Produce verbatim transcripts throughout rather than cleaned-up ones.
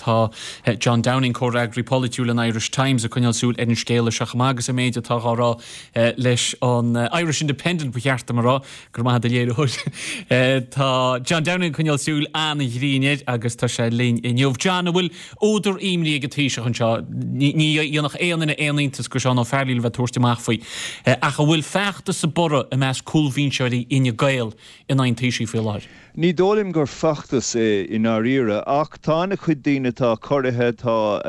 Tá John Downing, comhfhreagraí polaitiúil an Irish Times, ag coinneáil súil ar an scéal seo chomh maith agus an méid atá á rá leis an Irish Independent, ba cheart dom a rá, go raibh maith agat, a léiritheoir. Tá John Downing ag coinneáil súil an-ghrinn air agus tá sé linn inniu. John, an bhfuil údar imní ag an Taoiseach anseo? Ní dhéanfadh aon duine aon iontas go Seán Ó Fearghaíl a bheith ag tabhairt amach faoi. Ach an bhfuil feachtas ag borradh i measc cúlbhinseoirí Fhine Gael in aghaidh an Taoisigh faoi láthair? Ní dóigh liom gur feachtas é i ndáiríre, ach tá an-chuid daoine atá corraithe, tá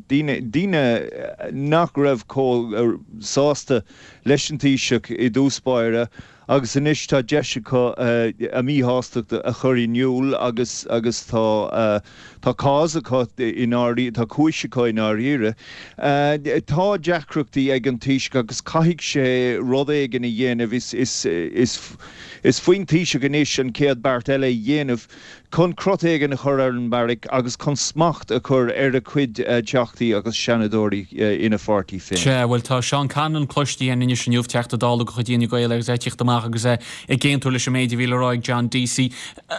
daoine daoine nach raibh chomh sásta leis an Taoiseach i dtús báire agus anois tá deis acu a míshástacht a chur in iúl agus agus tá tá cás acu i ndáiríre, tá cúis acu i ndáiríre. Tá deacrachtaí ag an Taoiseach agus caithfidh sé rud éigin a dhéanamh. Is is is is faoin Taoiseach anois an chéad beart eile a dhéanamh chun crot éigin a chur ar an beairic agus chun smacht a chur ar a chuid teachtaí agus seanadóirí ina pháirtí féin. Sea, bhuel tá Seán Conlon cloiste againn anois inniu, Teachta Dála de chuid Fhine Gael agus é ag tíocht amach agus é ag aontú leis an méid a bhí le rá ag John Deasy.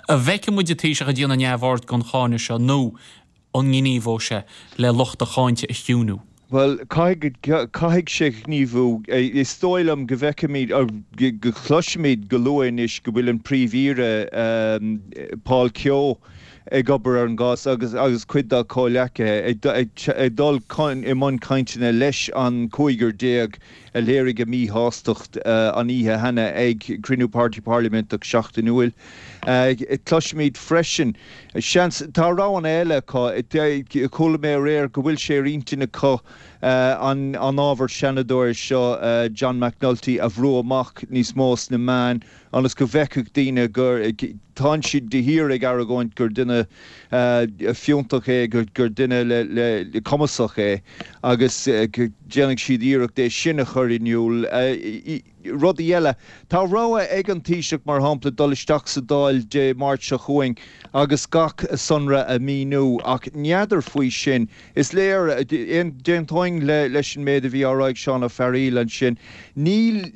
An bhfeicfidh muid an Taoiseach ag déanamh neamhaird den cháineadh seo nó an ngníomhóidh sé le lucht a cháinte a chiúnú? Bhuel, caithfidh, caithfidh sé gníomhú. Is dóigh liom go bhfeicfimid, go gcloisfimid go luath anois go bhfuil an Príomh-Aoire, Paul Kehoe, ag obair ar an gcás agus agus cuid dá chomhghleacaithe ag ag dul i mbun cainteanna leis an cúigear déag a léirigh a míshástacht an oíche cheana ag cruinniú Páirtí Parlaiminteach seachtainiúil. Cloisfimid freisin, seans, tá roghanna eile acu, chuala mé aréir go bhfuil sé ar intinn acu an ábhar seanadóir seo, John McNulty, a bhrú amach níos mó sna meáin ionas go bhfeicfeadh daoine gur, tánn siad de shíor ag argóint gur duine fiúntach é, gur duine le cumasach é agus déanfaidh siad iarracht é sin a chur in iúl. Rudaí eile. Tá rogha ag an Taoiseach, mar shampla, dul isteach sa Dáil Dé Máirt seo chugainn agus gach sonra a mhíniú, ach n'fheadar faoi sin. Is léir, d'aontóinn leis an méid a bhí á rá ag Seán Ó Fearghaíl ansin, níl,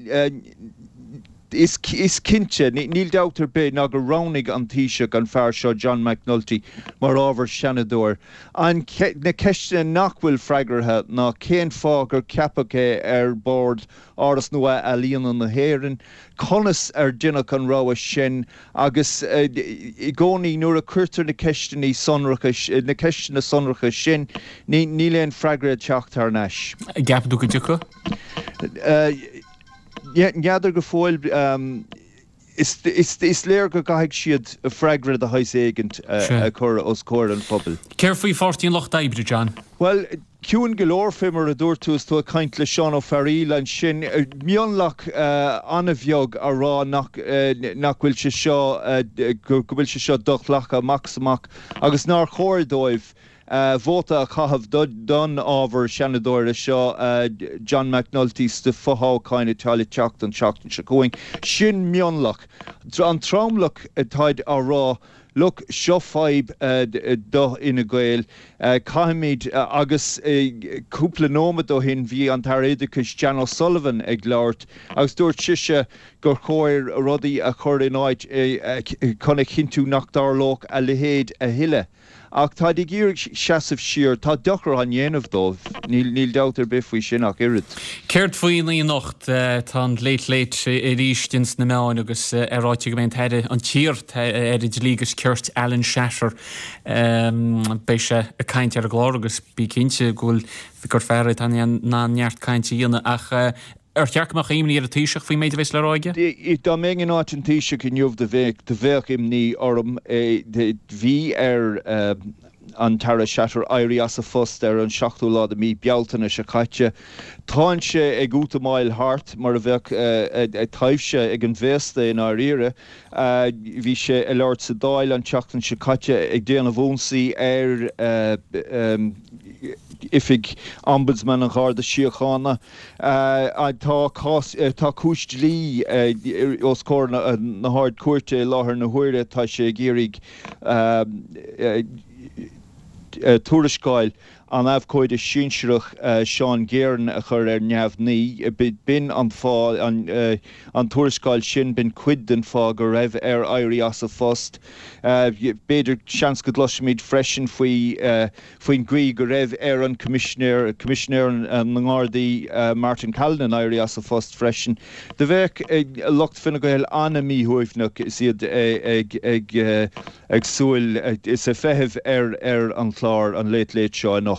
is cinnte, níl dabht ar bith ná gur roghnaigh an Taoiseach an fear seo, John McNulty, mar ábhar Seanadóir. An, na ceisteanna nach bhfuil freagartha ná cén fáth gur ceapadh é ar bord Áras Nua-Ealaíona na hÉireann, conas ar deineadh an rogha sin agus i gcónaí nuair a cuirtear na ceisteanna sonracha, na ceisteanna sonracha sin, níl aon freagra ag teacht thar n-ais. An gceapann tú go dtiocfaidh? N'fheadar go fóill. Is léir go gcaithfidh siad freagra de shaghas éigint a chur os comhair an phobail. Céard faoi Pháirtí an Lucht Oibre, John? Bhuel, ciúin go leor fé mar a dúirt tú is tú ag caint le Seán Ó Fearghaíl ansin. Mionlach an-bheag a rá nach nach bhfuil sé seo, go bhfuil sé seo do-ghlactha amach is amach agus nár chóir dóibh vóta a chaitheamh don ábhar Seanadóra seo, John McNulty, sna fothoghcháin atá le teacht an tseachtain seo chugainn. Sin mionlach. An tromlach, táid á rá, look, seo fadhb do Fhine Gael, caithfimid, agus cúpla nóiméad ó shin bhí an tAire Oideachais Jan O'Sullivan ag labhairt agus dúirt sise gur chóir rudaí a chur in áit chun a chinntiú nach dtarlódh a leithéid a thuilleadh. Ach táid ag iarraidh seasamh siar. Tá dochar á dhéanamh dóibh, níl dabht ar bith faoi sin ach oiread. Céard faoin oíche anocht? Tá an Late Late arís ins na meáin agus é ráite go mbeidh an tAire, an t-iar Aire Dlí agus Cirt Alan Shatter, beidh sé ag caint ar an gclár agus bí cinnte go bhfuil, gur fear é atá in ann neart cainte a dhéanamh ach Ar cheart go mbeadh imní ar an Taoiseach faoin méid a bheas le rá aige? Dá mbeinn in áit an Taoisigh inniu do bheadh do bheadh imní orm. Bhí ar an tAire Shatter éirí as a phost ar an seachtú lá de mhí Bealtaine seo caite. Tánn sé ag útamáil thart mar a bheadh taibhse ag an bhféasta i ndáiríre. Bhí sé ag labhairt sa Dáil an tseachtain seo caite ag déanamh ionsaí ar Oifig Ombudsman an Gharda Síochána. Tá cás, tá cúis dlí os comhair na hArd-Chúirte i láthair na huaire. Tá sé ag iarraidh tuarascáil an abhcóide sinsearach Seán Guerin a chur ar neamhní. B'in an fáth, an tuarascáil sin, b'in cuid den fáth go raibh air éirí as a phost. B'fhéidir, seans go gcloisfimid freisin faoi faoin gcaoi go raibh ar an Coimisinéir, Coimisinéir na nGardaí Martin Callinan éirí as a phost freisin. Do bheadh lucht Fine Gael an-mhíshuaimhneach is iad ag ag súil is ag feitheamh ar ar an chlár an Late Late seo anocht.